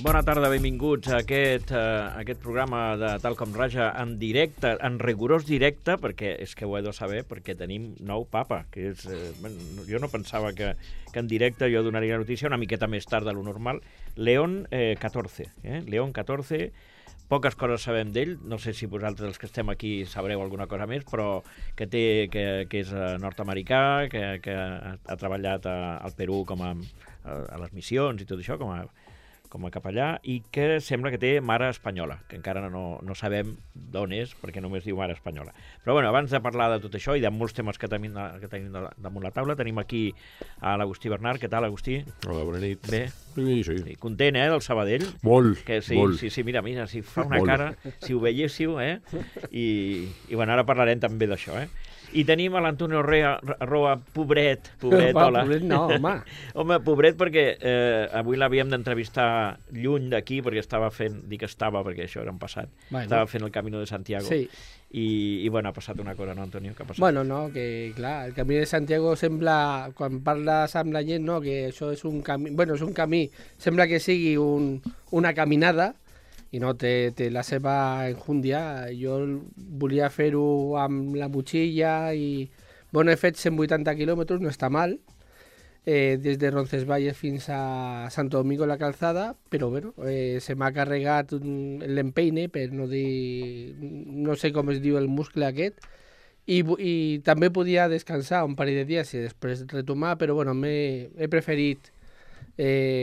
Bona tarda, benvinguts a aquest programa de Tal com Raja en directe, en rigorós directe, perquè és que ho he de saber, perquè tenim nou papa, que és... jo no pensava que en directe jo donaria notícia una miqueta més tard de lo normal. León XIV, León XIV, poques coses sabem d'ell, no sé si vosaltres els que estem aquí sabreu alguna cosa més, però que és nord-americà, que ha treballat al Perú a les missions i tot això, com a capellà, i que sembla que té mare espanyola, que encara no sabem d'on és, perquè només diu mare espanyola. Però bueno, abans de parlar de tot això i de molts temes que tenim damunt la taula, tenim aquí a l'Agustí Bernat. Què tal, Agustí? Hola, bona nit. Bé? Sí. Content, del Sabadell? Molt, molt. Sí, mira, si fa una cara, si ho veiéssiu, I bueno, ara parlarem també d'això, I tenim a l'Antonio Roa, pobret, hola. Pobret no, home. Home, pobret perquè avui l'havíem d'entrevistar lluny d'aquí, perquè perquè això era un passat. Bueno. Estava fent el Camino de Santiago. Sí. I bueno, ha passat una cosa, no, Antonio? Què ha passat? Bueno, no, que clar, el Camí de Santiago sembla, quan parles amb la gent, no, que això és un camí, bueno, és un camí, sembla que sigui una caminada, i no, té la seva enjúndia. Jo volia fer-ho amb la motxilla i, bueno, he fet 180 quilòmetres, no està mal, des de Roncesvalles fins a Santo Domingo la Calzada, però bueno, se m'ha carregat l'empeine, per no dir, no sé com es diu el muscle aquest, i també podia descansar un parell de dies i després retomar, però bueno, he preferit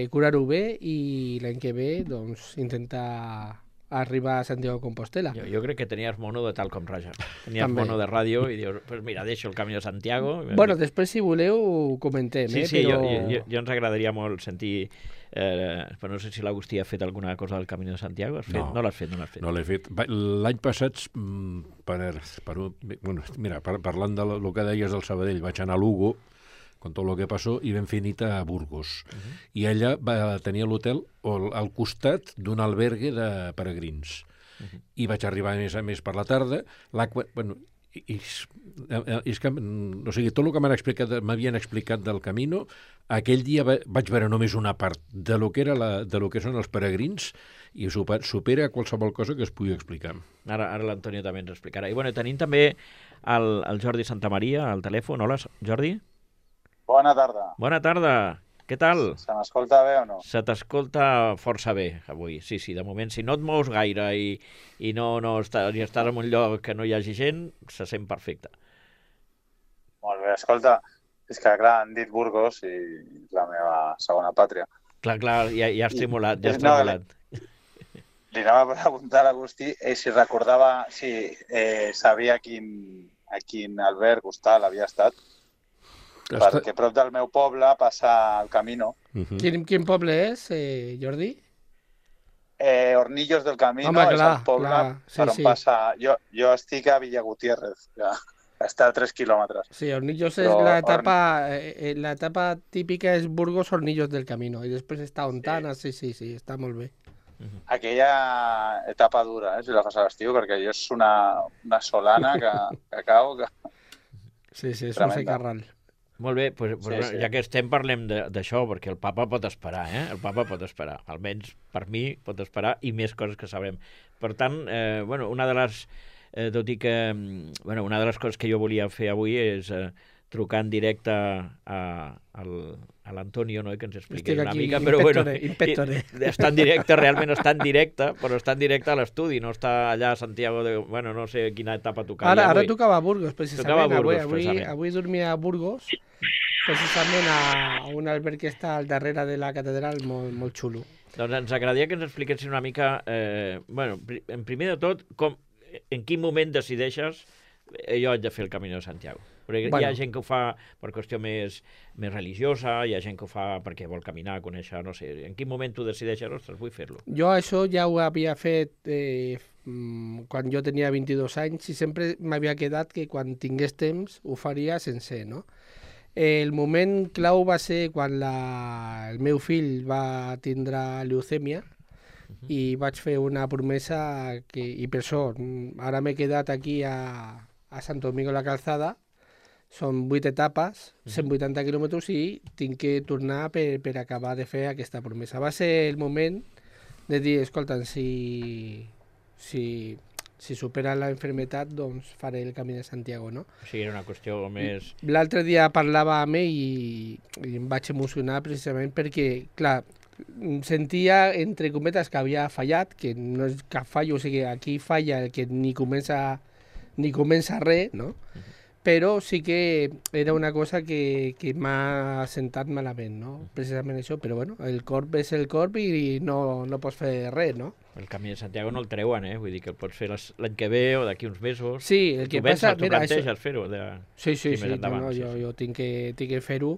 curar-ho bé i l'any que ve doncs intentar arribar a Santiago de Compostela. Jo crec que tenies mono de Tal com Raja. Tenies També. mono de ràdio i dius, pues mira, deixo el Camí de Santiago. Bueno, després, si voleu, ho comentem. Sí, però... jo ens agradaria molt sentir... però no sé si l'Agustí ha fet alguna cosa del Camí de Santiago. Has fet? No l'has fet. No l'he fet. L'any passat, parlant del que deies del Sabadell, vaig anar a Lugo, con tot el que passó, i vam fer nit a Burgos. I ella va tenir l'hotel al costat d'un albergue de peregrins. I vaig arribar a més per la tarda. És que, o sigui, tot el que m'havien explicat del Camino, aquell dia vaig veure només una part de lo que són els peregrins, i supera qualsevol cosa que es pugui explicar. Ara l'Antonio també ens explicarà. I bueno, tenim també el Jordi Santamaria al telèfon. Hola, Jordi. Bona tarda. Bona tarda. Què tal? Se m'escolta bé o no? Se t'escolta força bé avui. Sí, de moment, si no et mous gaire i no estàs en un lloc que no hi hagi gent, se sent perfecte. Molt bé, escolta, és que clar, han dit Burgos i és la meva segona pàtria. Clar, ja has tremolat, Li anava a preguntar a l'Agustí si recordava, si sabia a quin alberg hostal havia estat, perquè prop del meu poble passa el Camino. Quin poble és, Jordi? Hornillos del Camino. Home, és el poble per on passa... Jo estic a Villa Gutiérrez, que està a 3 quilòmetres. Sí, Hornillos és l'etapa típica, és Burgos, Hornillos del Camino, i després està Ontana, sí, està molt bé. Aquella etapa dura, si la fas a l'estiu, perquè jo és una solana que cau... Sí, és un secarral. Molt bé, ja que estem parlem d'això, perquè el papa pot esperar, El papa pot esperar, almenys per mi pot esperar, i més coses que sabrem. Per tant, una de les... tot i que... una de les coses que jo volia fer avui és trucar en directe a l'Antonio, que ens expliqui una mica, però està en directe, realment està en directe, però està en directe a l'estudi, no està allà a Santiago de... no sé quina etapa tocava. Ara tocava a Burgos, precisament. Avui dormia a Burgos, precisament a un alberg que està al darrere de la catedral, molt xulo. Doncs ens agradaria que ens expliquessin una mica, en primer de tot, en quin moment decideixes jo haig de fer el Camino de Santiago? Perquè hi ha gent que ho fa per qüestió més religiosa, hi ha gent que ho fa perquè vol caminar, conèixer, no sé. En quin moment tu decideixes, ostres, vull fer-lo? Jo això ja ho havia fet quan jo tenia 22 anys i sempre m'havia quedat que quan tingués temps ho faria sencer, no? El moment clau va ser quan el meu fill va tindre leucèmia i vaig fer una promesa i per això ara m'he quedat aquí a Santo Domingo la Calzada. Són 8 etapes, 180 quilòmetres i tinc que tornar per acabar de fer aquesta promesa. Va ser el moment de dir, escolta, si supera la enfermetat, doncs faré el Camí de Santiago, no? O sigui, era una qüestió més... L'altre dia parlava amb ell i em vaig emocionar precisament perquè, clar, sentia, entre cometes, que havia fallat, que no és cap fallo, o sigui, aquí falla el que ni comença res, no? Però sí que era una cosa que m'ha sentat malament, no? Precisament això, però bueno, el corp és el corp i no pots fer res, no? El Camí de Santiago no el treuen, Vull dir que el pots fer l'any que ve o d'aquí uns mesos. Sí, el que passa... Tu planteges fer-ho? Sí, jo tinc que fer-ho.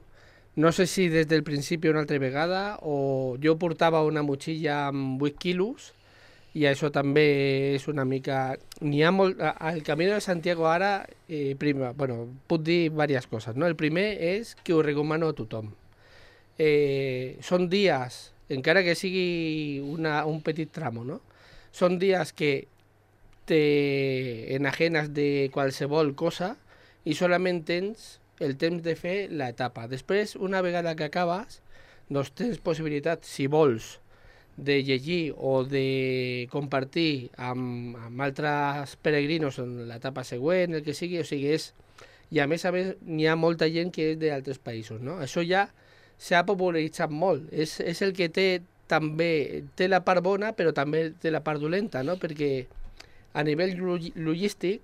No sé si des del principi una altra vegada o jo portava una motxilla amb 8 quilos i això també és una mica... N'hi ha molt... Al Camí de Santiago ara, puc dir diverses coses, no? El primer és que ho recomano a tothom. Són dies, encara que sigui un petit tramo, no? Són dies que te enajenes de qualsevol cosa i solament tens el temps de fer l'etapa. Després, una vegada que acabes, doncs tens possibilitat, si vols, de llegir o de compartir amb altres peregrinos en l'etapa següent, el que sigui, o sigui, i a més, n'hi ha molta gent que és d'altres països, no? Això ja s'ha popularitzat molt, és el que també té la part bona, però també té la part dolenta, no? Perquè a nivell logístic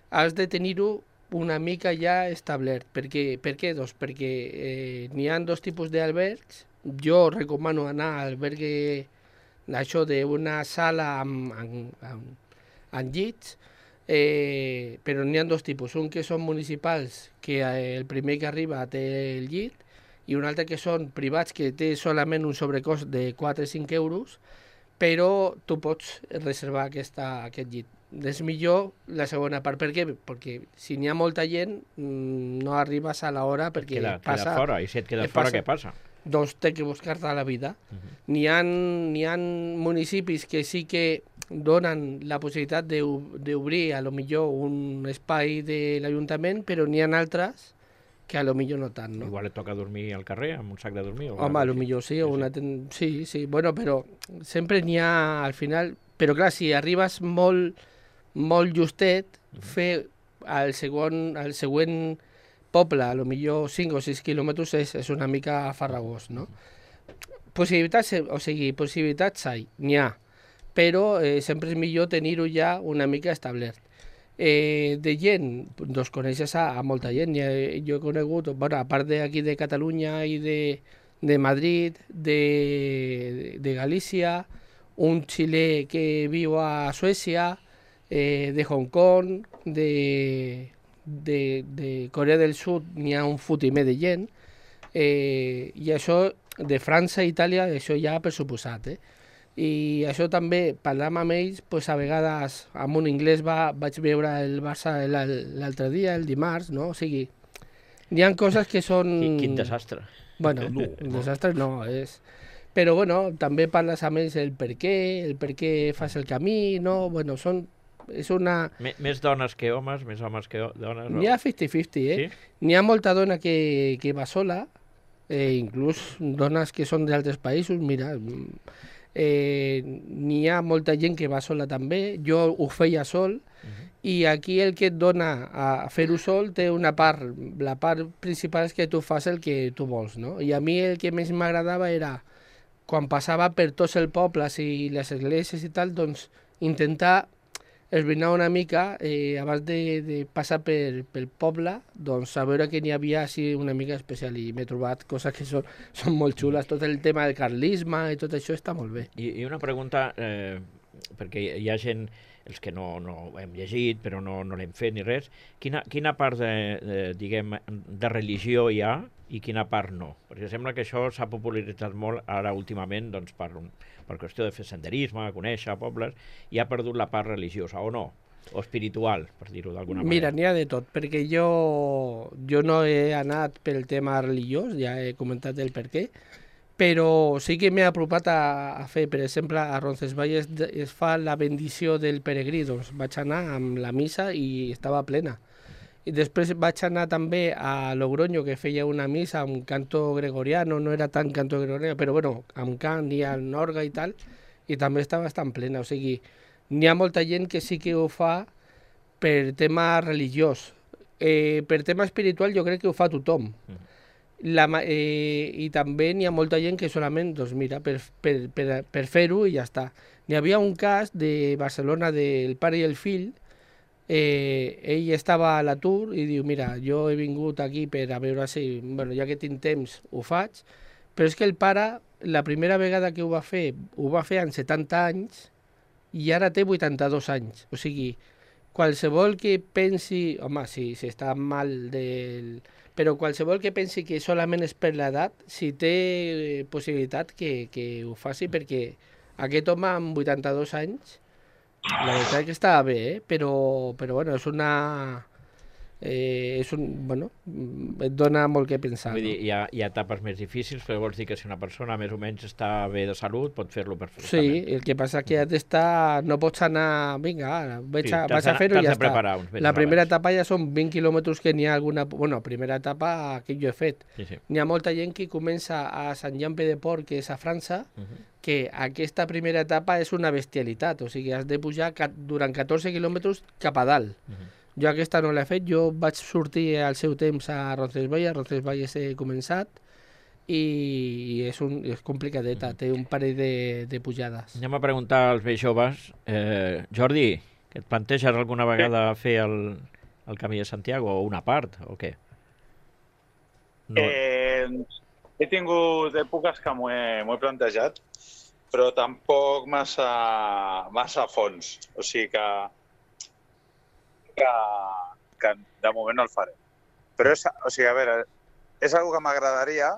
has de tenir-ho una mica ja establert. Per què? Doncs perquè n'hi ha dos tipus d'albergs. Jo recomano anar a albergue això d'una sala amb llits, però n'hi ha dos tipus. Un que són municipals, que el primer que arriba té el llit, i un altre que són privats, que té solament un sobrecost de 4 o 5 euros, però tu pots reservar aquest llit. És millor la segona part. Per què? Perquè si n'hi ha molta gent no arribes a l'hora perquè queda fora, i si et quedes fora, què passa? Doncs té que buscar-te la vida. N'hi ha municipis que sí que donen la possibilitat d'obrir a lo millor un espai de l'Ajuntament, però n'hi ha altres que a lo millor no tant, no? Igual et toca dormir al carrer, amb un sac de dormir. Home, a lo millor sí, sí, bueno, però sempre n'hi ha al final... Però clar, si arribes molt justet, fer el següent poble, a lo millor 5 o 6 quilòmetres és una mica farragós, no? Possibilitats n'hi ha, però sempre és millor tenir-ho ja una mica establert. De gent, doncs coneixes a molta gent. Jo he conegut, a part d'aquí de Catalunya i de Madrid, de Galícia, un xilè que viu a Suècia, de Hong Kong, de Corea del Sud n'hi ha un fotimer de gent, i això de França i Itàlia, això ja per suposat, I això també, parlant amb ells, a vegades amb un anglès vaig veure el Barça l'altre dia, el dimarts, no? O sigui, n'hi ha coses que són... Quin desastre. Bueno, un desastre no, és... Però, bueno, també parles amb ells el per què fas el camí, no? Bueno, és una... Més dones que homes, més homes que dones? N'hi ha 50-50, Sí? N'hi ha molta dona que va sola, inclús dones que són d'altres països, mira... n'hi ha molta gent que va sola també, jo ho feia sol, i aquí el que et dona a fer-ho sol té una part, la part principal és que tu fas el que tu vols, no? I a mi el que més m'agradava era, quan passava per tots els pobles i les esglésies i tal, doncs intentar esbrinar una mica abans de passar pel poble, doncs a veure que n'hi havia així una mica especial, i m'he trobat coses que són molt xules. Tot el tema del carlisme i tot això està molt bé. I una pregunta, perquè hi ha gent, els que no hem llegit, però no l'hem fet ni res, quina part de religió hi ha i quina part no? Perquè sembla que això s'ha popularitzat molt ara últimament, doncs, per qüestió de fer senderisme, conèixer pobles, i ha perdut la part religiosa, o no? O espiritual, per dir-ho d'alguna manera. Mira, n'hi ha de tot, perquè jo no he anat pel tema religiós, ja he comentat el per què, però sí que m'he apropat a fer, per exemple, a Roncesvalles es fa la bendició del peregrí, doncs vaig anar amb la missa i estava plena. I després vaig anar també a Logroño, que feia una missa amb canto gregoriano, no era tant canto gregoriano, però bueno, amb cant i amb orga i tal, i també està bastant plena. O sigui, n'hi ha molta gent que sí que ho fa per tema religiós. Per tema espiritual jo crec que ho fa tothom. I també n'hi ha molta gent que solament, doncs mira, per fer-ho i ja està. N'hi havia un cas de Barcelona del pare i el fill. Ell estava a l'atur i diu, mira, jo he vingut aquí per a veure si, bueno, ja que tinc temps, ho faig, però és que el pare, la primera vegada que ho va fer amb 70 anys i ara té 82 anys. O sigui, qualsevol que pensi, home, si està mal però qualsevol que pensi que solament és per l'edat, si té possibilitat que ho faci, perquè aquest home amb 82 anys, la veritat que està bé, però bueno, bueno, et dona molt que pensar. Vull dir, hi ha etapes més difícils, però vols dir que si una persona més o menys està bé de salut, pot fer-lo perfectament. Sí, el que passa que has d'estar, no pots anar, vinga, vaig a fer-ho i ja està. La primera etapa ja són 20 quilòmetres que n'hi ha alguna... Bueno, primera etapa que jo he fet. N'hi ha molta gent que comença a Sant Jean-Pied de Port, que és a França, que aquesta primera etapa és una bestialitat, o sigui, has de pujar durant 14 quilòmetres cap a dalt. Jo aquesta no l'he fet, jo vaig sortir al seu temps a Roncesvalles he començat i és complicadeta, té un parell de pujades. Anem a preguntar als més joves. Jordi, que et planteges alguna vegada fer el Camí de Santiago o una part, o què? No. He tingut èpoques que m'ho he plantejat, però tampoc massa a fons. O sigui que de moment no el faré. Però o sigui, a veure, és una que m'agradaria,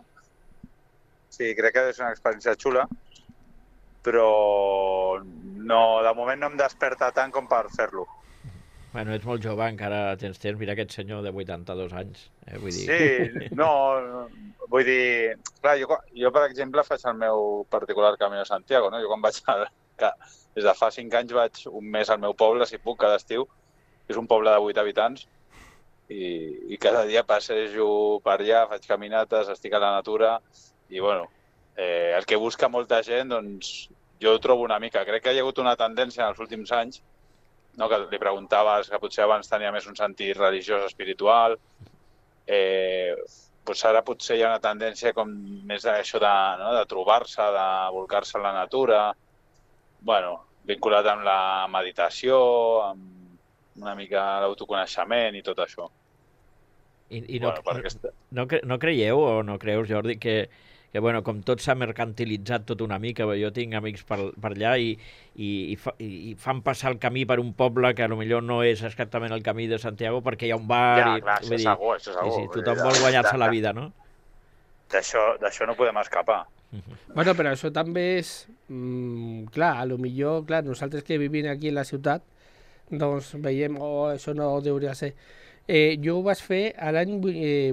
sí, crec que és una experiència xula, però no, de moment no em desperta tant com per fer-lo. Bueno, ets molt jove, encara tens temps. Mira aquest senyor de 82 anys. Vull dir... Sí, no, vull dir... Clar, jo, per exemple, faig el meu particular Camí de Santiago, no? Jo quan vaig... Des de fa 5 anys vaig un mes al meu poble, si puc, cada estiu. És un poble de 8 habitants i cada dia passejo per allà, faig caminates, estic a la natura i, bueno, el que busca molta gent, doncs, jo ho trobo una mica. Crec que hi ha hagut una tendència en els últims anys, no, que li preguntaves que potser abans tenia més un sentit religiós, espiritual, doncs ara potser hi ha una tendència com més d'això de trobar-se, de volcar-se en la natura, bueno, vinculat amb la meditació, amb una mica l'autoconeixement i tot això. No creieu o no creus, Jordi, que bueno, com tot s'ha mercantilitzat tot una mica, jo tinc amics per allà i fan passar el camí per un poble que potser no és exactament el Camí de Santiago perquè hi ha un bar... Ja, clar, això és segur. Sí, tothom vol guanyar-se la vida, no? D'això no podem escapar. Bueno, però això també és... clar, potser nosaltres que vivim aquí a la ciutat doncs veiem, això no hauria de ser. Jo ho vaig fer a l'any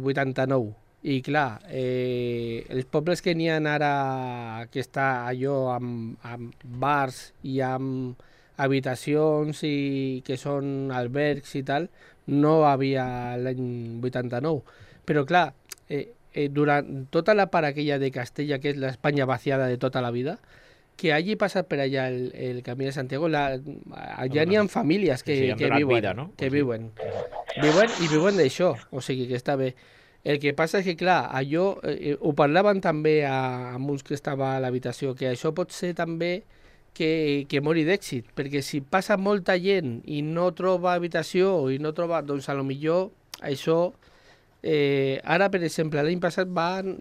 89 i clar, els pobles que n'hi ha ara que està allò amb bars i amb habitacions i que són albergs i tal, no havia l'any 89. Però clar, durant tota la part aquella de Castella, que és l'Espanya vaciada de tota la vida, que hagi passat per allà el Camí de Santiago, allà n'hi ha famílies que viuen, vida, no? Que viuen d'això, o sigui que està bé. El que passa és que, clar, allò, ho parlaven també amb uns que estava a l'habitació, que això pot ser també que mori d'èxit, perquè si passa molta gent i no troba habitació i no troba, doncs a lo millor això... ara, per exemple, l'any passat van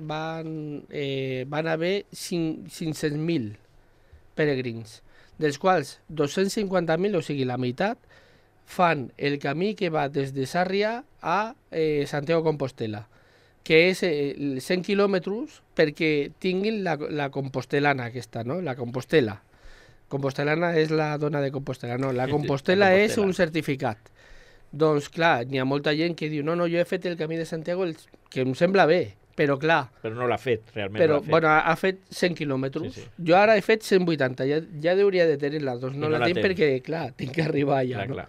haver 500.000 peregrins, dels quals 250.000, o sigui, la meitat, fan el camí que va des de Sàrria a Santiago Compostela, que és 100 quilòmetres perquè tinguin la compostelana aquesta, no? La Compostela. Compostelana és la dona de Compostela, no, la Compostela és un certificat. Doncs clar, n'hi ha molta gent que diu no, jo he fet el Camí de Santiago, que em sembla bé, però clar... Però no l'ha fet, realment però, no l'ha fet. Bueno, ha fet 100 quilòmetres. Sí. Jo ara he fet 180, ja hauria de tenir-la, doncs no la tinc perquè, clar, tinc que arribar allà, no?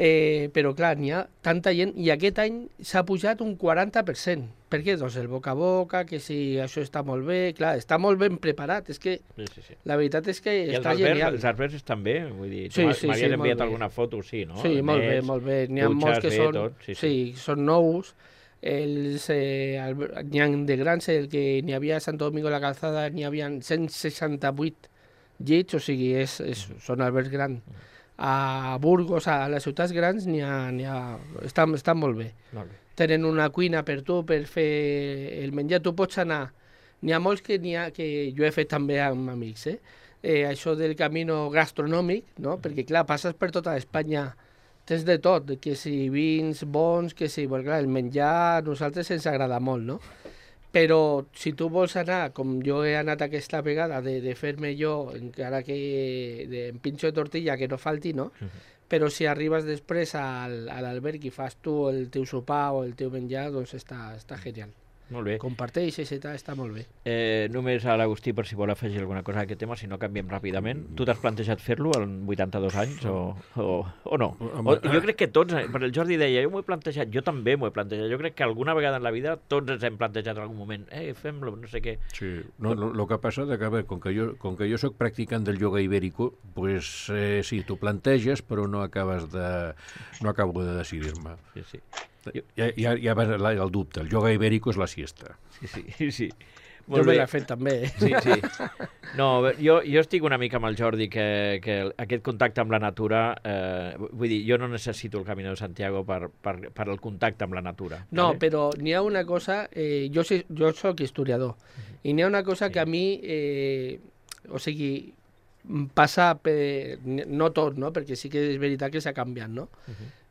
Però clar, n'hi ha tanta gent i aquest any s'ha pujat un 40%. Per què? Doncs el boca a boca, que si això està molt bé, clar, està molt ben preparat, és que Sí. la veritat és que I està genial. els albergs estan bé? Vull dir, Sí, m'havies molt enviat bé. alguna foto, sí, no? Sí, molt bé, Nets, molt bé. N'hi ha molts que dutxes, són, tot, sí, són nous. N'hi ha de grans, el que n'hi havia a Santo Domingo de la Calzada, n'hi havia 168 llits, o sigui, són albergs grans. A Burgos, a les ciutats grans, estan molt bé. Molt bé. Tenen una cuina per tu, per fer el menjar. Tu pots anar. N'hi ha molts que jo he fet també amb amics, això del camino gastronòmic, no? Perquè, clar, passes per tota Espanya, tens de tot, que si vins bons, que si... Bueno, clar, el menjar a nosaltres ens agrada molt, no? Però si tu vols anar, com jo he anat aquesta vegada, de fer-me jo, encara que en pinxo de tortilla, que no falti, no? Però si arribes després a l'alberg i fas tu el teu sopar o el teu menjar, doncs està genial. Molt bé. Comparteixes i tal, està molt bé. Només a l'Agustí, per si vol afegir alguna cosa a aquest tema, si no canviem ràpidament. Tu t'has plantejat fer-lo amb 82 anys o no? Jo crec que tots, per el Jordi deia, jo m'ho he plantejat, jo també m'ho he plantejat. Jo crec que alguna vegada en la vida tots ens hem plantejat en algun moment, fem-lo, no sé què. Sí, no, lo que passa és que, a veure, com que jo soc practicant del yoga ibérico, pues, sí, t'ho planteges, però no acabo de decidir-me. Sí. Ja va el dubte. El yoga ibérico és la siesta. Sí. Jo me l'he fet també. Sí. No, jo estic una mica amb el Jordi que aquest contacte amb la natura, vull dir, jo no necessito el Camino de Santiago per el contacte amb la natura. No, ¿vale? però n'hi ha una cosa, jo soc historiador, i n'hi ha una cosa que a mi, o sigui, passa per... No tot, no? Perquè sí que és veritat que s'ha canviat, no?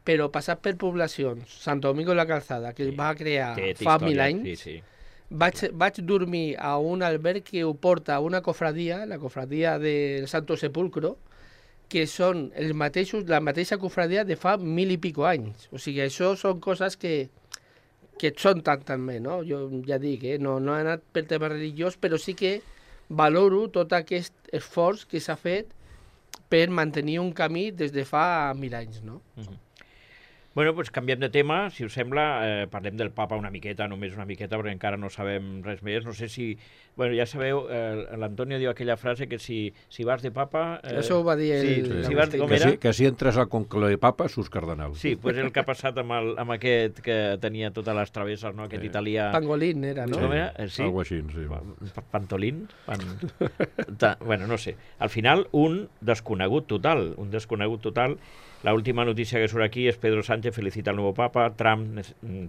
Però passat per poblacions, Santo Domingo de la Calzada, que es va crear fa 1000 anys, vaig dormir a un alberg que ho porta una cofradia, la cofradia del Santo Sepulcro, que són la mateixa cofradia de fa 1000 i pico anys. O sigui, això són coses que són tant també, no? Jo ja dic, no he anat per tema religiós, però sí que valoro tot aquest esforç que s'ha fet per mantenir un camí des de fa 1000 anys, no? Bueno, doncs canviem de tema, si us sembla, parlem del papa una miqueta, només una miqueta, perquè encara no sabem res més. No sé si... Bueno, ja sabeu, l'Antonio diu aquella frase que si vas de papa... Això ho va dir ell. Si vas, com era? Que si entres al conclave de papa, surts cardenal. Sí, doncs el que ha passat amb aquest que tenia totes les travesses, no? Aquest italià... Pangolín era, no? Com era? Sí. Algo així, sí. Pantolín? Bueno, no sé. Al final, un desconegut total. La última noticia que surt aquí es Pedro Sánchez felicita al nuevo Papa, Trump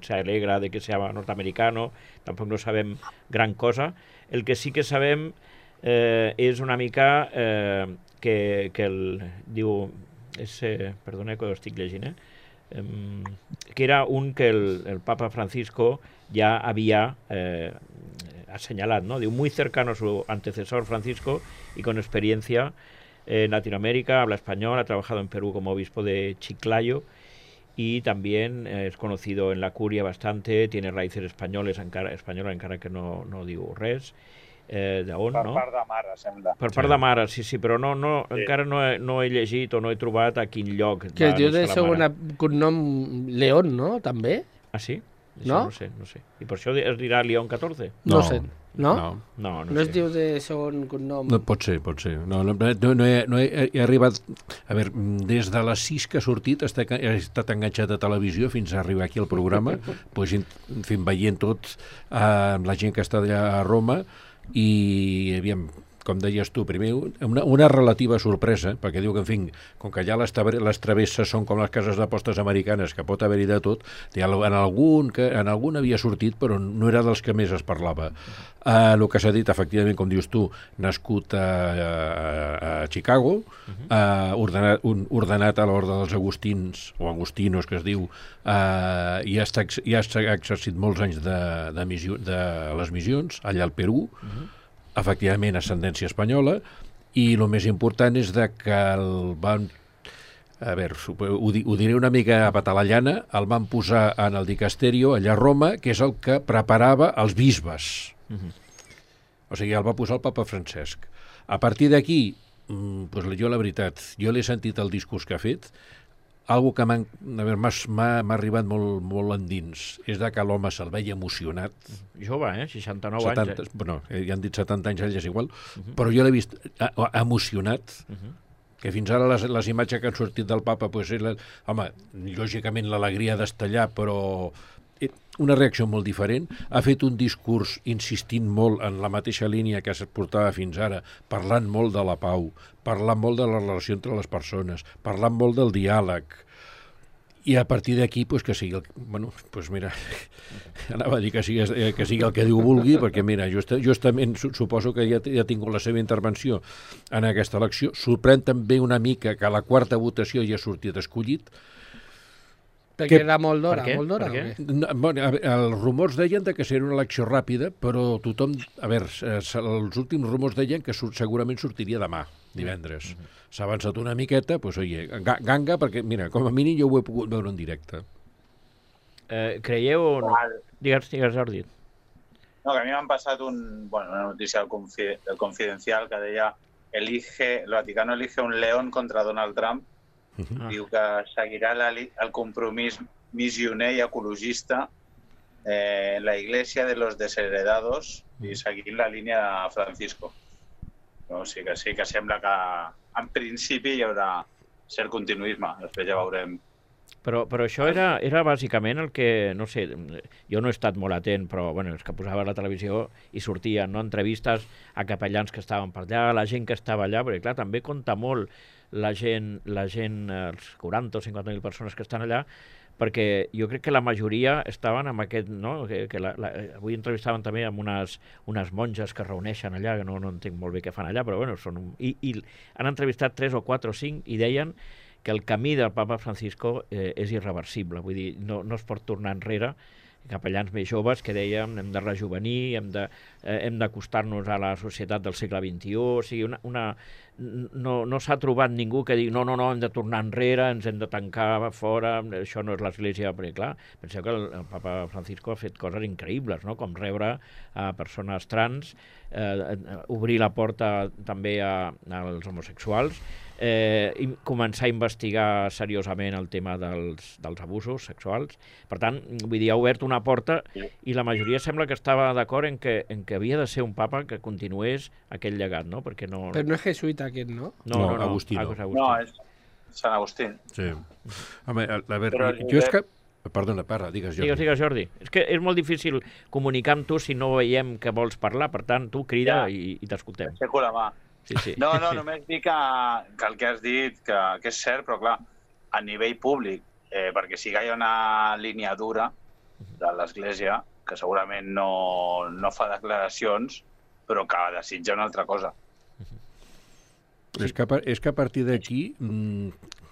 se alegra de que sea norteamericano, tampoc no sabem gran cosa. El que sí que sabem és una mica que diu, perdona que ho estic llegint, que era un que el Papa Francisco ja havia asseñalat, ¿no? Diu, muy cercano a su antecesor Francisco y con experiencia en Latinoamérica, habla español, ha trabajado en Perú como obispo de Chiclayo y también es conocido en la curia bastante, tiene raíces españoles encara que no diu res. D'on, no? Per part de mare, sembla. Per part de mare, sí, però encara no he llegit o no he trobat a quin lloc. Que es diu de segon cognom León, no? També? Ah, sí? No? No sé. I per això es dirà León XIV? No sé. No? No es diu de segon cognom? No, pot ser. No he arribat... A veure, des de les 6 que ha sortit he estat enganxat a televisió fins a arribar aquí al programa, pues, en fi, veient tot amb la gent que està allà a Roma i, aviam, com deies tu, primer, una relativa sorpresa, perquè diu que, en fi, com que allà les travesses són com les cases d'apostes americanes, que pot haver-hi de tot, en algun havia sortit, però no era dels que més es parlava. El que s'ha dit, efectivament, com dius tu, nascut a Chicago, ordenat a l'ordre dels agustins, o agustinos, que es diu, i ha exercit molts anys de les missions, allà al Perú, efectivament ascendència espanyola, i el més important és que el van, a veure, ho diré una mica a patalallana, el van posar en el dicasterio allà a Roma, que és el que preparava els bisbes. O sigui, el va posar el papa Francesc. A partir d'aquí, jo la veritat, jo l'he sentit el discurs que ha fet, algo que m'ha arribat molt endins és que l'home se'l veia emocionat. Jove, 69 anys. Bueno, ja han dit 70 anys, ell és igual, però jo l'he vist emocionat, que fins ara les imatges que han sortit del papa, pues, home, lògicament l'alegria d'estar allà, però una reacció molt diferent. Ha fet un discurs insistint molt en la mateixa línia que es portava fins ara, parlant molt de la pau, parlant molt de la relació entre les persones, parlant molt del diàleg. I a partir d'aquí, pues, que sigui mira, anava a dir que sigui el que Déu vulgui, perquè mira, justament suposo que ja ha tingut la seva intervenció en aquesta elecció. Sorprèn també una mica que a la quarta votació ja ha sortit escollit. Perquè era molt d'hora, molt d'hora. Els rumors deien que seria una elecció ràpida, però tothom... A veure, els últims rumors deien que segurament sortiria demà, divendres. S'ha avançat una miqueta, doncs, oye, ganga, perquè, mira, com a mínim jo ho he pogut veure en directe. Creieu o no? Digues, Jordi. No, que a mi m'han passat una notícia del Confidencial que deia el Vaticano elige un león contra Donald Trump. Diu que seguirà el compromís missioner i ecologista en la Iglesia de los Desheredados i seguint la línia de Francisco. No, sí que sembla que en principi hi haurà cert continuisme, després ja veurem. Però això era bàsicament el que, no sé, jo no he estat molt atent, però bueno, és que posava a la televisió i sortien, no, entrevistes a capellans que estaven per allà, la gent que estava allà, perquè clar, també compta molt la gent, els 40 o 50.000 persones que estan allà, perquè jo crec que la majoria estaven amb aquest, no? Avui entrevistaven també amb unes monges que reuneixen allà, que no entenc molt bé què fan allà, però bueno, i han entrevistat 3 o 4 o 5 i deien que el camí del papa Francisco és irreversible, vull dir, no es pot tornar enrere. Capellans més joves que dèiem hem de rejuvenir, hem d'acostar-nos a la societat del segle XXI, o sigui, no s'ha trobat ningú que digui no, hem de tornar enrere, ens hem de tancar fora, això no és l'Església, perquè clar, penseu que el papa Francisco ha fet coses increïbles, no? Com rebre a persones trans, obrir la porta també als homosexuals, i començar a investigar seriosament el tema dels abusos sexuals. Per tant, vull dir, ha obert una porta i la majoria sembla que estava d'acord en que havia de ser un papa que continués aquell llegat, no? Perquè no... Però no és jesuïta aquest, no? No, Agustí no. No, és Sant Agustí. Sí. Home, a veure, jo és que... Perdona, digues, Jordi. Digues, Jordi. És que és molt difícil comunicar amb tu si no veiem que vols parlar, per tant, tu crida i t'escoltem. Aixeco la mà. Sí. No, només dir que el que has dit, que és cert, però clar, a nivell públic, perquè sí que hi ha una línia dura de l'Església, que segurament no fa declaracions, però que desitja una altra cosa. És que a partir d'aquí,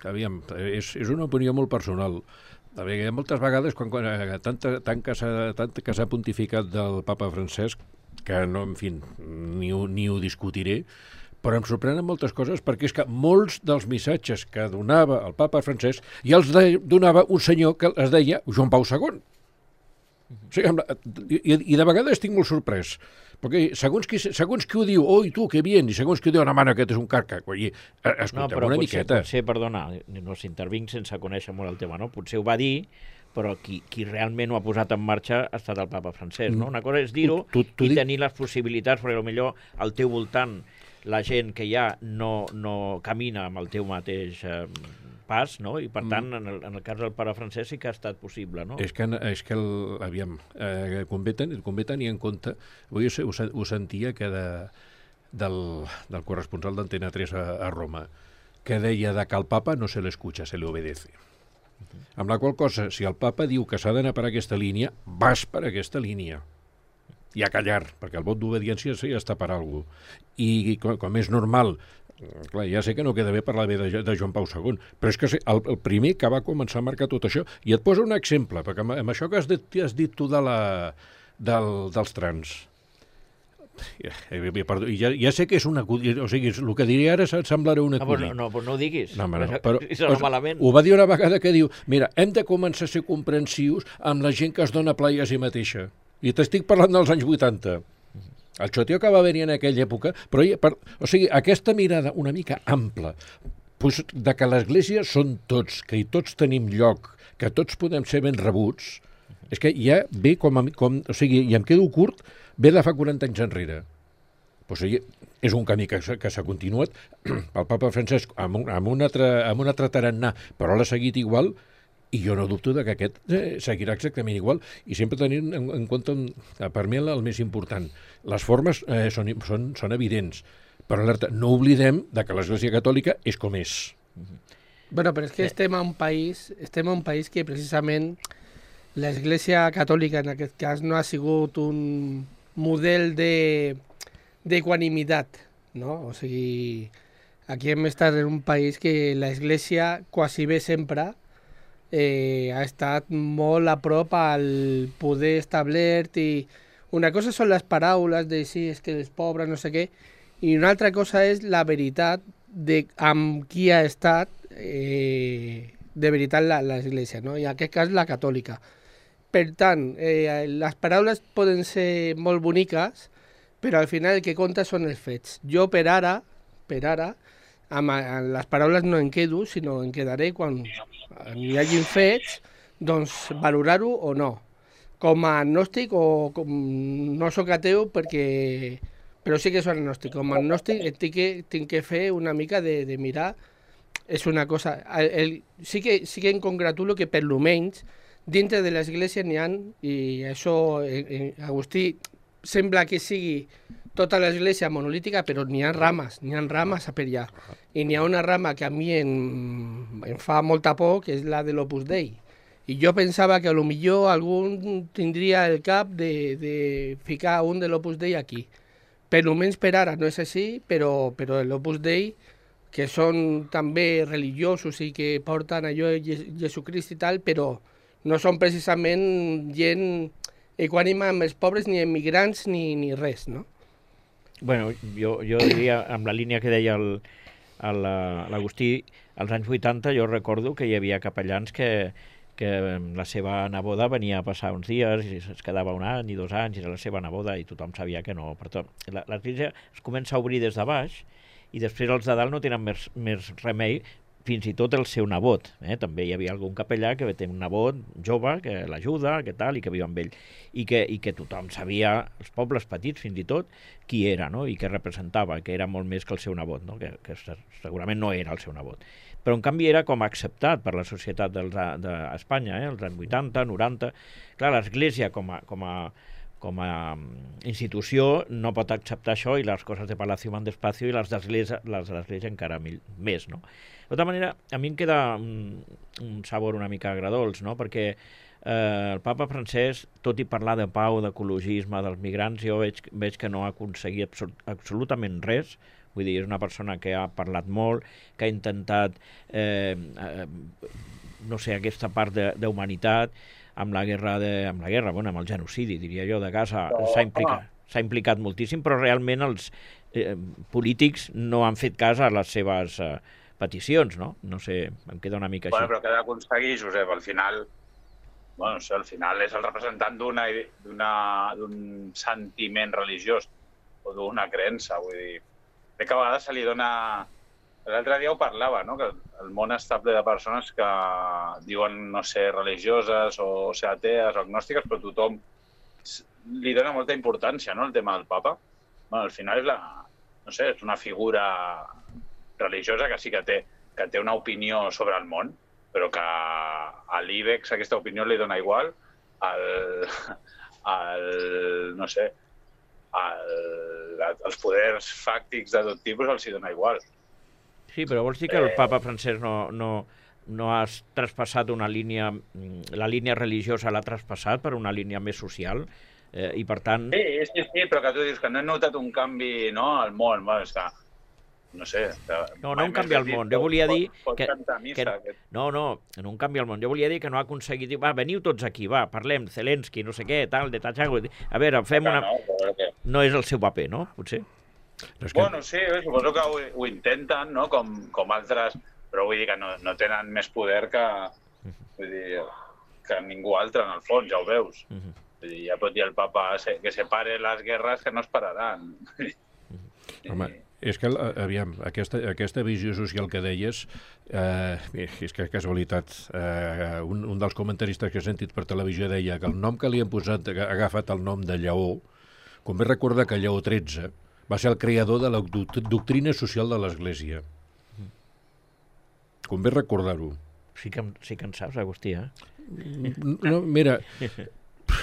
aviam, és una opinió molt personal. Moltes vegades, tant que s'ha pontificat del papa Francesc, que no, en fi, ni ho discutiré, però em sorprenen moltes coses perquè és que molts dels missatges que donava el papa Francesc ja els donava un senyor que es deia Joan Pau II. O sigui, i de vegades estic molt sorprès, perquè segons qui ho diu, oi tu, que bien, i segons qui ho diu, no, mare, aquest és un carca. Escolteu una miqueta. Potser, perdona, no s'intervinc sense conèixer molt el tema, no? Potser ho va dir, però qui realment ho ha posat en marxa ha estat el papa Francesc, no? Una cosa és dir-ho i tenir les possibilitats, perquè potser al teu voltant la gent que ja no camina amb el teu mateix pas, no? I per tant, en el cas del pare Francesc sí que ha estat possible, no? És que aviam, convé tenir en compte, avui ho sentia que del corresponsal d'Antena 3 a Roma, que deia que al papa no se l'escucha, se le obedece. Amb la qual cosa, si el papa diu que s'ha d'anar per aquesta línia, vas per aquesta línia. I a callar, perquè el vot d'obediència ja està per alguna cosa. I com és normal, clar, ja sé que no queda bé parlar bé de Joan Pau II, però és que el primer que va començar a marcar tot això, i et poso un exemple, perquè amb això que has dit tu dels trans, ja sé que és una... O sigui, el que diré ara semblarà un acudit. No ho diguis. Però ho va dir una vegada que diu, mira, hem de començar a ser comprensius amb la gent que es dona plaer a si mateixa. I t'estic parlant dels anys 80. El xoteo que va haver-hi en aquella època, però, o sigui, aquesta mirada una mica ampla, pues, de que l'Església són tots, que hi tots tenim lloc, que tots podem ser ben rebuts, és que ja ve o sigui, i em quedo curt, ve de fa 40 anys enrere. O sigui, és un camí que s'ha continuat. El papa Francesc amb un altre tarannà, però l'ha seguit igual, i jo no dubto que aquest seguirà exactament igual. I sempre tenint en compte, per mi, el més important. Les formes són evidents, però alerta, no oblidem que l'Església Catòlica és com és. Bueno, però és que estem a un país que precisament l'Església Catòlica en aquest cas no ha sigut un model d'equanimitat, no? O sigui, aquí hem estat en un país que l'Església quasi bé sempre ha estat molt a prop al poder establert, i una cosa són les paraules de sí, és que els pobres, no sé què, i una altra cosa és la veritat de amb qui ha estat de veritat l'Església, no? I en aquest cas la catòlica. Per tant, les paraules poden ser molt boniques, però al final el que compta són els fets. Jo per ara, amb les paraules no en quedo, sinó en quedaré quan hi hagin fets, doncs valorar-ho o no. Com a agnòstic, o no sóc ateu però sí que soc agnòstic. Com a agnòstic tinc que fer una mica de mirar. És una cosa... Sí que em congratulo que per lo menys dintre de l'Església n'hi ha, i això Agustí sembla que sigui tota l'Església monolítica, però n'hi ha rames a per allà. I n'hi ha una rama que a mi em fa molta por, que és la de l'Opus Dei. I jo pensava que potser algú tindria el cap de ficar un de l'Opus Dei aquí. Per almenys per ara no és així, però l'Opus Dei, que són també religiosos i que porten allò de Jesucrist i tal, però no són precisament gent equànime amb els pobres, ni emigrants, ni res, no? Bueno, jo diria, amb la línia que deia l'Agustí, als anys 80 jo recordo que hi havia capellans que la seva neboda venia a passar uns dies i es quedava un any i 2 anys, i era la seva neboda, i tothom sabia que no. Per tot, l'Església es comença a obrir des de baix, i després els de dalt no tenen més remei, fins i tot el seu nebot. També hi havia algun capellà que té un nebot jove que l'ajuda, que tal, i que viu amb ell. I que tothom sabia, els pobles petits fins i tot, qui era, no? I què representava, que era molt més que el seu nebot, no? Que segurament no era el seu nebot. Però en canvi era com acceptat per la societat d'Espanya, els anys 80, 90... Clar, l'Església com a institució no pot acceptar això, i les coses de Palacio van despacio, i les d'Església encara més, no? De tota manera, a mi em queda un sabor una mica agradolç, no? Perquè el papa Francesc, tot i parlar de pau, d'ecologisme, dels migrants, jo veig que no ha aconseguit absolutament res. Vull dir, és una persona que ha parlat molt, que ha intentat, no sé, aquesta part d'humanitat, amb el genocidi, diria jo, de Gaza, s'ha implicat moltíssim, però realment els polítics no han fet cas a les seves peticions, no? No sé, em queda una mica així. Bueno, però què ha d'aconseguir, Josep? Al final, bueno, al final és el representant d'un sentiment religiós o d'una creença, vull dir, crec que a vegades se li dona... L'altre dia ho parlava, no? Que el món està ple de persones que diuen no ser religioses o ser atees o agnòstiques, però tothom li dona molta importància, no?, el tema del papa. Bueno, al final és una figura religiosa que sí que té una opinió sobre el món, però que a l'IBEX aquesta opinió li dona igual, als poders fàctics de tot tipus els hi dona igual. Sí, però vols dir que el papa Francesc no ha traspassat la línia religiosa l'ha traspassat per una línia més social, i per tant... Sí, però que tu dius que no he notat un canvi, no, al món, bueno, està... No sé... No un canvi al món, jo volia dir que... No un canvi al món, jo volia dir que no ha aconseguit... Va, veniu tots aquí, va, parlem, Zelensky, no sé què, tal, de Tachago... A veure, fem una... No és el seu paper, no? Potser? Bueno, sí, suposo que ho intenten, no?, com altres, però vull dir que no tenen més poder que ningú altre, en el fons, ja ho veus. Vull dir, ja pot dir el papa que separe les guerres que no es pararan. Home, És que, aviam, aquesta visió social que deies, és que casualitat, un dels comentaristes que he sentit per televisió deia que el nom que li han posat, ha agafat el nom de Lleó, convé recordar que Lleó XIII va ser el creador de la doctrina social de l'Església. Convé recordar-ho. Sí que en saps, Agustí, eh? No, mira,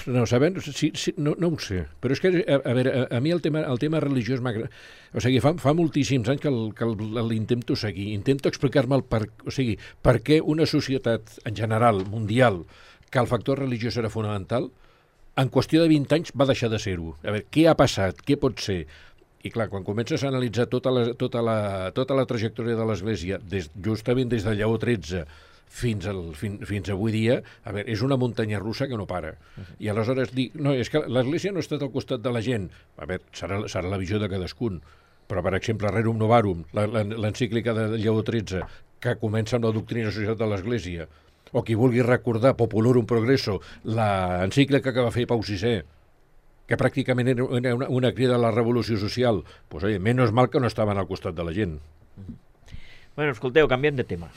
no, sabent, sí, no ho sé, però és que, a veure, a mi el tema religiós m'agrada. O sigui, fa moltíssims anys que l'intento seguir, intento explicar-me per què una societat en general, mundial, que el factor religiós era fonamental, en qüestió de 20 anys va deixar de ser-ho. A veure, què ha passat? Què pot ser? I clar, quan comences a analitzar tota la trajectòria de l'Església, justament des de Lleó XIII fins avui dia, a veure, és una muntanya russa que no para. I aleshores dic, no, és que l'Església no ha estat al costat de la gent. A veure, serà la visió de cadascun. Però, per exemple, Rerum Novarum, l'encíclica de Lleó XIII, que comença amb la doctrina social de l'Església, o qui vulgui recordar Populorum Progresso, l'encíclica que va fer Pau VI, que pràcticament era una crida a la revolució social, doncs, oye, menys mal que no estaven al costat de la gent. Bueno, escolteu, canviem de tema.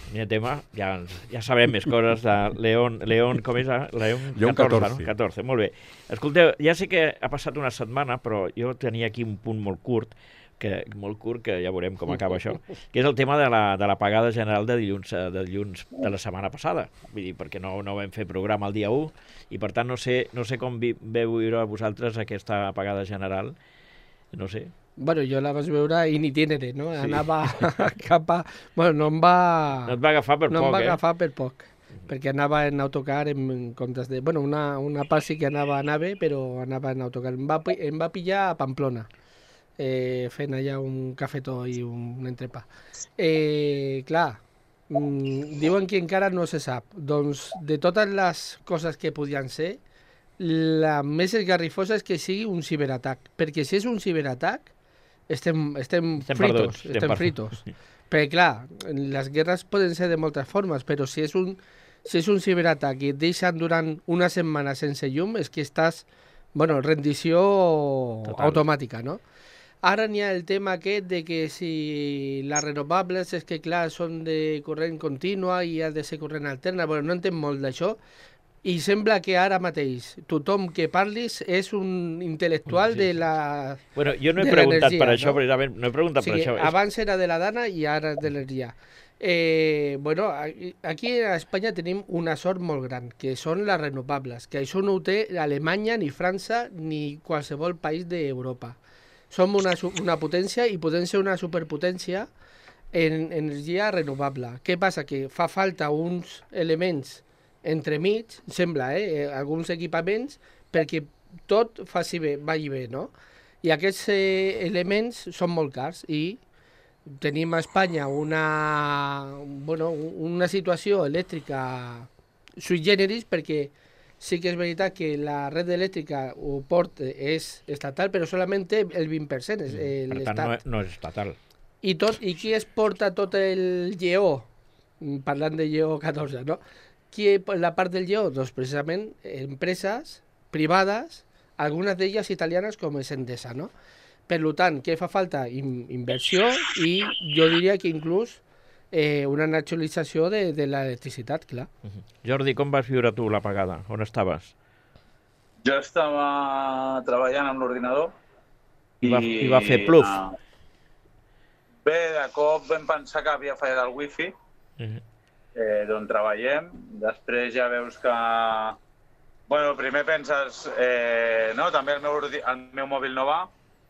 Ja sabem més coses de León, com és? León XIV, no? 14, molt bé. Escolteu, ja sé que ha passat una setmana, però jo tenia aquí un punt molt curt, que ja veurem com acaba això, que és el tema de la pagada general de dilluns de la setmana passada. Vull dir, perquè no vam fer programa el dia 1, i per tant no sé com veu viure vosaltres aquesta pagada general. No sé. Bueno, jo la vaig veure in itinere, no? Sí. Anava cap a... Bueno, no et va agafar per poc, perquè anava en autocar en comptes de... Bueno, una part sí que anava a nave, però anava en autocar. Em va pillar a Pamplona, fent allà un cafetó i un entrepà. Clar, diuen que encara no se sap. Doncs, de totes les coses que podien ser, la més esgarrifosa és que sigui un ciberatac, perquè si és un ciberatac estem fritos. Perquè clar, les guerres poden ser de moltes formes, però si és un ciberatac i et deixen durant una setmana sense llum, és que estàs, rendició total, automàtica, no? Ara n'hi ha el tema aquest de que si les renovables és que clar són de corrent contínua i ha de ser corrent alterna, no entenc molt d'això. I sembla que ara mateix tothom que parlis és un intel·lectual de la Bueno, jo no he preguntat per això, precisament, no he preguntat per això. Abans era de la dana i ara de l'energia. Aquí a Espanya tenim una sort molt gran, que són les renovables, que això no ho té Alemanya, ni França, ni qualsevol país d'Europa. Som una potència i podem ser una superpotència en energia renovable. Què passa? Que fa falta uns elements entremig, sembla, alguns equipaments, perquè tot vagi bé, no? I aquests elements són molt cars i tenim a Espanya una situació elèctrica sui generis, perquè sí que és veritat que la red elèctrica o port és estatal, però solament té el 20%, és l'Estat. Per tant, no és estatal. I qui es porta tot el lleó, parlant de lleó 14, no? La part del lleó? Doncs precisament empreses privades, algunes d'elles italianes com és Endesa, no? Per tant, què fa falta? Inversió i jo diria que inclús una nacionalització de l'electricitat, clar. Jordi, com vas viure tu la pagada? On estaves? Jo estava treballant amb l'ordinador i va fer pluf. Bé, de cop vam pensar que havia fallat el wifi, d'on treballem. Després ja veus que... primer penses, també el meu mòbil no va.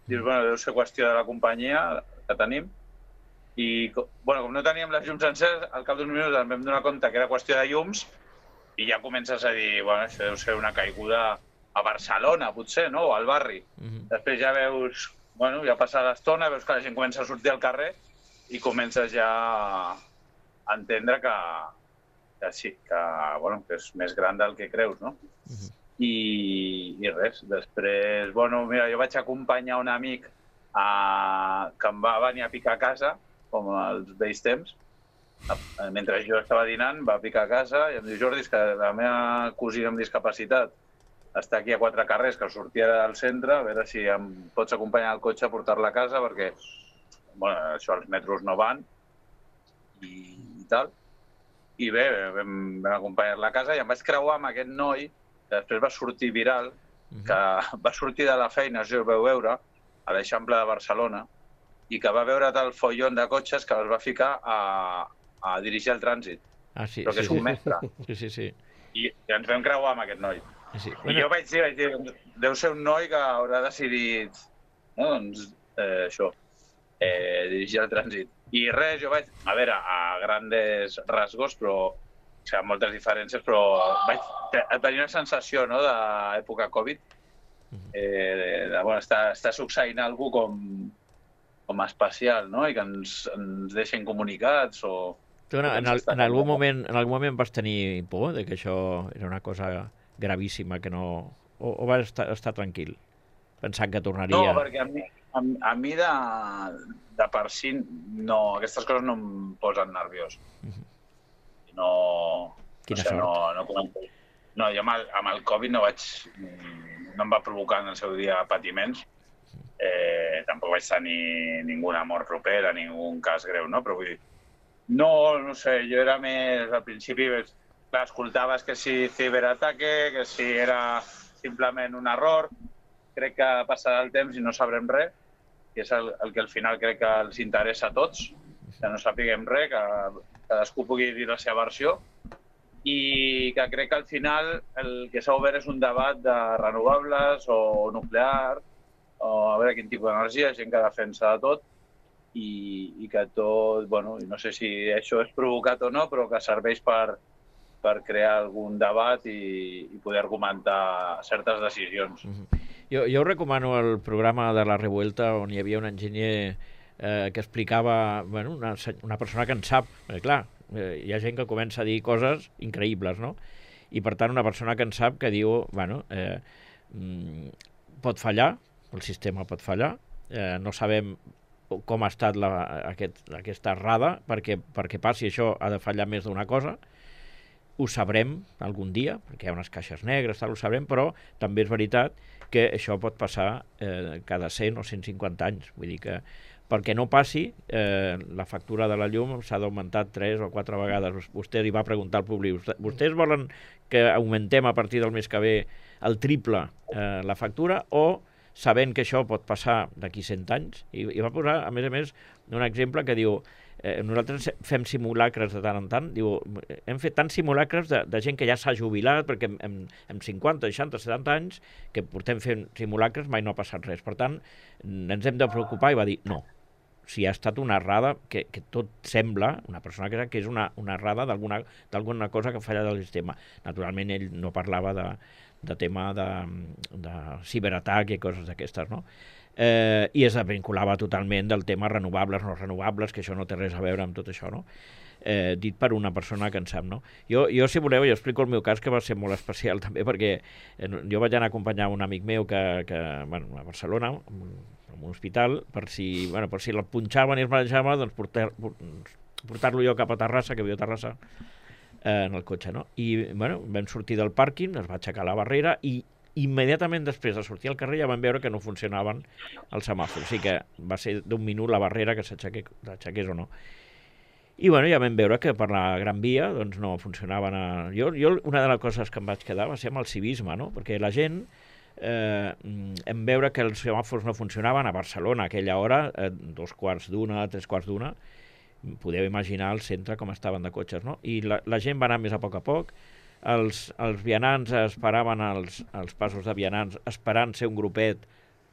Dius, deu ser qüestió de la companyia que tenim. I, com no teníem les llums enceses, al cap d'uns minuts ens vam donar compte que era qüestió de llums i ja comences a dir, això deu ser una caiguda a Barcelona, potser, no? O al barri. Després ja veus, ja passa l'estona, veus que la gent comença a sortir al carrer i comences ja a entendre que sí, que és més gran del que creus, no? I res, després, mira, jo vaig acompanyar un amic que em va venir a picar a casa, com als vells temps. Mentre jo estava dinant, va picar a casa i em diu, Jordi, és que la meva cosina amb discapacitat està aquí a 4 carrers, que sortia del centre, a veure si em pots acompanyar al cotxe a portar-la a casa, perquè això, els metros no van i tal. I bé, vam acompanyar-la a casa i em vaig creuar amb aquest noi que després va sortir viral, que va sortir de la feina, això ho veu veure, a l'Eixample de Barcelona, i que va veure tal follon de cotxes que els va ficar a dirigir el trànsit. Sí, però que és un mestre. Sí. I ens vam creuar amb aquest noi. Sí. I jo vaig dir, deu ser un noi que haurà decidit, no, doncs, això, dirigir el trànsit. I res, jo vaig, a veure, a grandes rasgos, però, o sigui, moltes diferències, però vaig tenir una sensació, no?, d'època Covid, bueno, està succeint alguna cosa com especial, no?, i que ens deixen comunicats o... Tu en algun moment vas tenir por de que això era una cosa gravíssima, que no... O vas estar tranquil, pensant que tornaria... No, perquè a mi de per si, no, aquestes coses no em posen nerviós. No... Quina sort. No, jo amb el Covid no em va provocar en el seu dia patiments. Tampoc vaig tenir ninguna mort propera, ningun cas greu, no? Però vull dir, no sé, jo era més, al principi, escoltaves que si ciberataque, que si era simplement un error, crec que passarà el temps i no sabrem res, que és el que al final crec que els interessa a tots, que no sapiguem res, que cadascú pugui dir la seva versió, i que crec que al final el que s'ha obert és un debat de renovables o nuclear, o a veure quin tipus d'energia, gent que defensa de tot, i que tot, bueno, no sé si això és provocat o no, però que serveix per crear algun debat i poder argumentar certes decisions. Jo recomano el programa de La Revuelta, on hi havia un enginyer que explicava, bueno, una persona que en sap, clar, hi ha gent que comença a dir coses increïbles, no? I per tant una persona que en sap que diu, bueno, pot fallar, el sistema pot fallar, no sabem com ha estat aquesta errada, perquè passi això ha de fallar més d'una cosa, ho sabrem algun dia, perquè hi ha unes caixes negres, ho sabrem, però també és veritat que això pot passar cada 100 o 150 anys, vull dir que perquè no passi, la factura de la llum s'ha d'augmentar 3 o 4 vegades. Vostè li va preguntar al públic, vostès volen que augmentem a partir del mes que ve el triple la factura o sabent que això pot passar d'aquí 100 anys, i va posar, a més, un exemple que diu, nosaltres fem simulacres de tant en tant, diu, hem fet tants simulacres de gent que ja s'ha jubilat, perquè amb 50, 60, 70 anys, que portem fent simulacres, mai no ha passat res. Per tant, ens hem de preocupar, i va dir, no, si ha estat una errada, que tot sembla, una persona que és una errada d'alguna cosa que falla del sistema. Naturalment, ell no parlava de tema de ciberatac i coses d'aquestes, no? I es vinculava totalment del tema renovables, no renovables, que això no té res a veure amb tot això, no? Dit per una persona que en sap, no? Jo, si voleu, jo explico el meu cas, que va ser molt especial també, perquè jo vaig anar a acompanyar un amic meu bueno, a Barcelona, en un hospital, per si el punxaven i es marejaven, doncs portar-lo jo cap a Terrassa, que viu a Terrassa, en el cotxe, no? I, bueno, vam sortir del pàrquing, es va aixecar la barrera i immediatament després de sortir al carrer ja vam veure que no funcionaven els semàfors. O sigui que va ser d'un minut la barrera que s'aixequés o no. I, bueno, ja vam veure que per la Gran Via doncs no funcionaven. Jo una de les coses que em vaig quedar va ser amb el civisme, no? Perquè la gent en veure que els semàfors no funcionaven a Barcelona a aquella hora, 2:15, 3:15, podeu imaginar el centre com estaven de cotxes, no? I la gent va anar més a poc, els vianants esperaven els passos de vianants esperant ser un grupet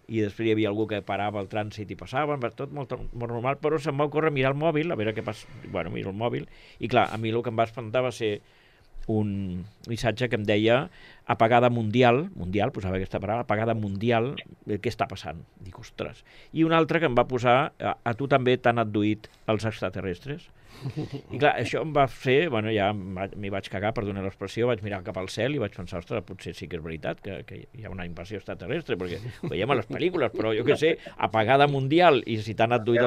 i després hi havia algú que parava el trànsit i passaven, tot molt normal, però se'm va ocórrer mirar el mòbil, a veure què passa. Bueno, miro el mòbil, i clar, a mi el que em va espantar va ser un missatge que em deia apagada mundial, posava aquesta paraula, apagada mundial, què està passant? Dic, ostres. I un altre que em va posar, a tu també t'han adduït els extraterrestres? I clar, això em va fer, bueno, ja m'hi vaig cagar, perdona l'expressió, vaig mirar cap al cel i vaig pensar, ostres, potser sí que és veritat que hi ha una invasió extraterrestre, perquè ho veiem a les pel·lícules, però jo què sé, apagada mundial, i si t'han adduït...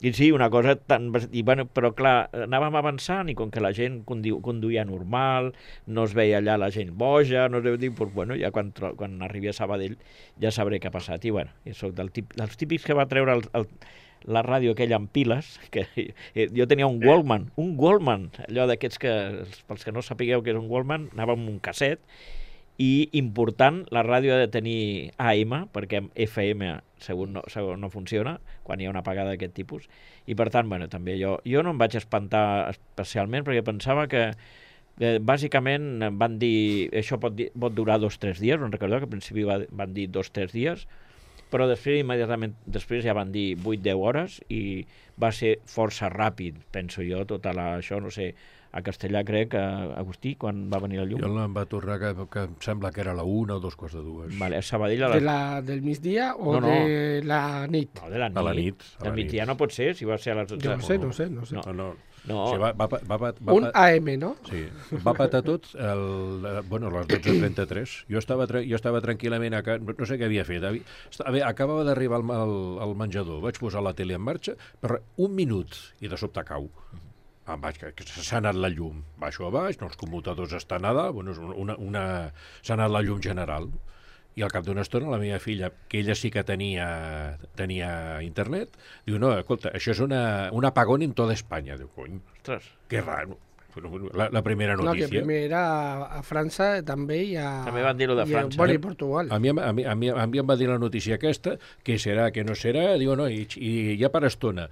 I sí, una cosa tan... I, bueno, però clar, anàvem avançant i com que la gent conduïa normal, no es veia allà la gent boja, no es deu dir, doncs, bueno, ja quan arribi a Sabadell ja sabré què ha passat. I bueno, jo soc dels típics que va treure la ràdio aquella amb piles, que jo tenia un Walkman, allò d'aquests que, pels que no sapigueu què és un Walkman, anava amb un casset, i important, la ràdio ha de tenir AM, perquè FM segur no funciona, quan hi ha una apagada d'aquest tipus, i per tant, bueno, també jo no em vaig espantar especialment, perquè pensava que bàsicament van dir, això pot durar 2 o 3 dies, no recordeu que al principi van dir 2 o 3 dies, però immediatament després ja van dir 8-10 hores i va ser força ràpid, penso jo, això, no sé, a Castellà crec, Agustí, quan va venir la llum. Jo em va tornar que em sembla que era la 1 o 2:45. Vale, a Sabadell del migdia o de la nit? No, de la nit. A la nit. Del migdia no pot ser, si va ser a les 12. Jo no sé. No. Sí, un AM, no? Sí, va patar tot a les 12:33. Jo estava tranquil·lament a casa, no sé què havia fet. Acabava d'arribar al menjador, vaig posar la tele en marxa, per 1 minut, i de sobte cau. Que s'ha anat la llum. Baixo a baix, els commutadors estan a dalt, s'ha anat la llum general. I al cap d'una estona la meva filla, que ella sí que tenia internet, diu, no, escolta, això és un apagón en tota Espanya. Diu, cony, que raro. La primera notícia. No, que primer era a França també i a... També van dir-ho de França. I Portugal. A mi em va dir la notícia aquesta, que serà, que no serà, diu, no, i ja per estona.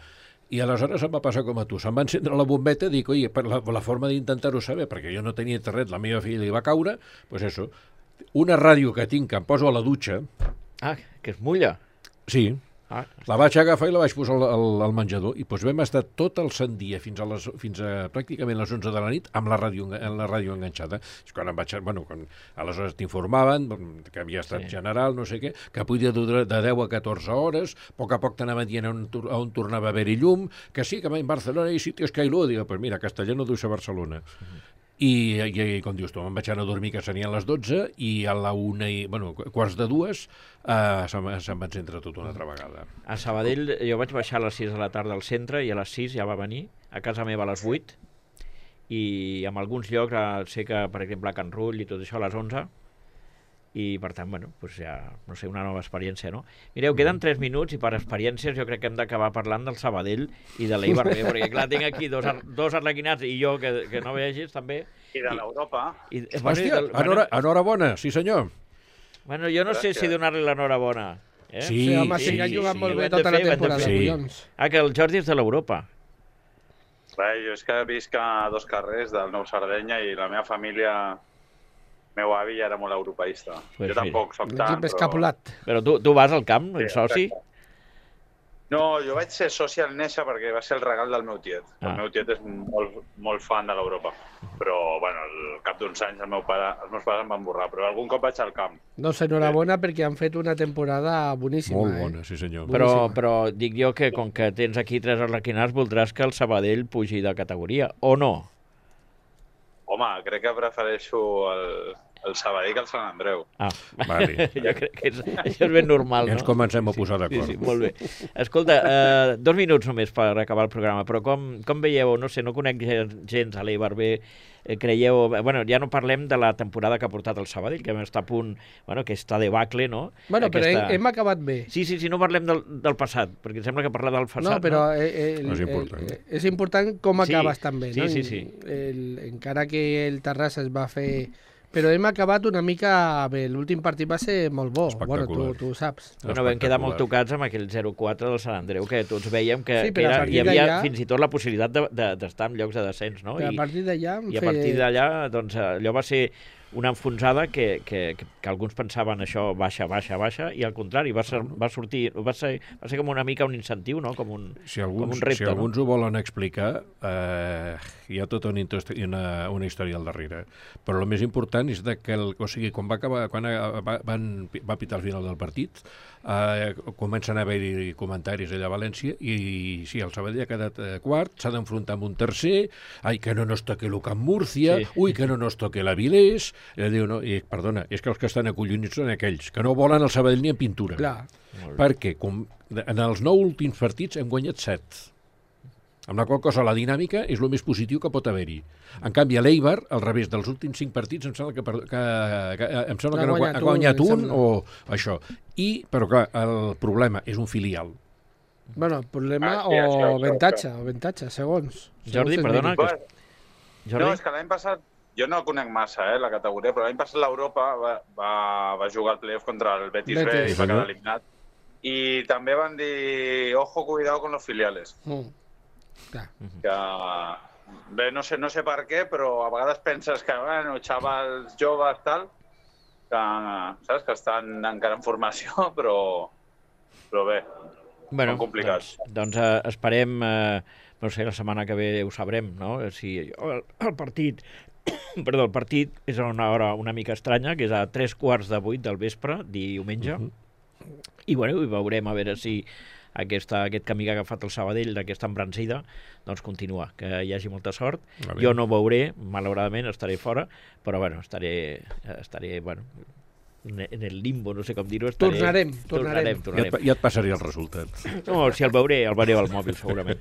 I aleshores em va passar com a tu. Se'm va encendre la bombeta i dic, oi, la forma d'intentar-ho saber, perquè jo no tenia internet, la meva filla li va caure, doncs això, una ràdio que tinc, que em poso a la dutxa... Ah, que es mulla. Sí. La vaig agafar i la vaig posar al menjador i doncs vam estar tot el sant dia fins a pràcticament les 11 de la nit amb la ràdio enganxada. Quan aleshores t'informaven que havia estat general, no sé què, que podia durar de 10 a 14 hores, a poc t'anaven dient on tornava a haver-hi llum, que sí, que en Barcelona hi ha sitios que hi luz. Dic, pues mira, Castellano deu ser Barcelona. I com dius tu, me'n vaig anar a dormir, que serien les 12, i a la 1:15 se'm va encendre tot una altra vegada. A Sabadell jo vaig baixar a les 6 de la tarda al centre i a les 6 ja va venir, a casa meva a les 8, i en alguns llocs sé que, per exemple, a Can Rull i tot això a les 11, i per tant, bueno, doncs ja, no sé, una nova experiència, no? Mireu, queden 3 minuts i per experiències jo crec que hem d'acabar parlant del Sabadell i de l'Eibar B, perquè clar, tinc aquí dos arlequinats i jo que no vegis també. I de l'Europa. Hòstia, enhorabona, sí senyor. Bueno, jo no sé si donar-li l'enhorabona. Sí, home, sí que han jugat molt bé tota la temporada, collons. Ah, que el Jordi és de l'Europa. Bé, jo és que visc a 2 carrers del Nou Sardenya i la meva família... El meu avi ja era molt europeista. Jo tampoc soc tant, però... Però tu vas al camp, ets soci? No, jo vaig ser soci al néixer perquè va ser el regal del meu tiet. El meu tiet és molt fan de l'Europa. Però, bueno, al cap d'uns anys els meus pares em van borrar, però algun cop vaig al camp. Doncs enhorabona perquè han fet una temporada boníssima. Molt bona, sí senyor. Però dic jo que com que tens aquí 3 arlequinats voldràs que el Sabadell pugi de categoria, o no? Home, crec que prefereixo el Sabadell que el Sant Andreu. Vale. Jo crec que això és ben normal, no? Ja ens comencem a posar d'acord. Sí, molt bé. Escolta, 2 minuts només per acabar el programa, però com veieu, no sé, no conec gens a l'Eibar B, creieu... Bueno, ja no parlem de la temporada que ha portat el Sabadell, que està a punt, bueno, que està de bacle, no? Bueno, però hem acabat bé. Sí, no parlem del passat, perquè sembla que parlar del passat... No, però és important com acabes també, no? Sí. Encara que el Terrassa es va fer... Però hem acabat una mica bé. L'últim partit va ser molt bo. Bueno, tu ho saps. Bueno, vam quedar molt tocats amb aquell 0-4 del Sant Andreu, que tots veiem que hi havia fins i tot la possibilitat d'estar en llocs de descens, no? I a partir d'allà... I a partir d'allà, doncs, allò va ser una enfonsada que alguns pensaven això baixa, i al contrari, va ser com una mica un incentiu, no? Com un repte. Si alguns ho volen explicar, hi ha tota una història al darrere. Però el més important és que, quan va pitar al final del partit, comencen a haver-hi comentaris allà a València i sí, el Sabadell ha quedat quart, s'ha d'enfrontar amb un tercer, que no nos toque el Camp Múrcia, que no nos toque l'Avilés. Diu, no, perdona, és que els que estan acollonits són aquells que no volen el Sabadell ni en pintura. Clar. Perquè en els 9 últims partits hem guanyat 7. Amb la qual cosa la dinàmica és el més positiu que pot haver-hi. En canvi, a l'Eibar, al revés, dels últims 5 partits, em sembla que no ha guanyat un o això. Però clar, el problema és un filial. Bueno, problema sí, això. o avantatge, segons. Jordi, Segons perdona. miri. Jordi? No, és que l'any passat, jo no conec massa la categoria, però l'any passat l'Europa va jugar al playoff contra el Betis B Betis. i va quedar eliminat. I també van dir, ojo, cuidado con los filiales. Clar. Que, bé, no sé per què, però a vegades penses que, bueno, xavals joves, tal, que, saps, que estan encara en formació, però bé, Bueno, són complicats. doncs esperem, no sé, la setmana que ve ho sabrem, no? Si el partit, perdó, el partit és a una hora una mica estranya, que és a 7:45 del vespre, diumenge, i bueno, i veurem a veure si aquest camí que ha agafat el Sabadell, d'aquesta embranzida, doncs continua, que hi hagi molta sort. Jo no veuré, malauradament, estaré fora, però bueno, estaré bueno, en el limbo, no sé com dir-ho. Tornarem. Ja et passaré el resultat. No, si el veuré al mòbil, segurament.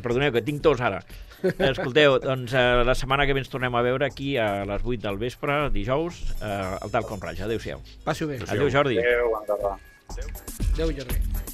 Perdoneu, que tinc tos ara. Escolteu, doncs la setmana que ve ens tornem a veure aquí a les 8 del vespre, dijous, al Tal Com Raja. Adéu-siau. Passi-ho bé. Adéu, Jordi. Adéu, endavant. Adéu, Jordi.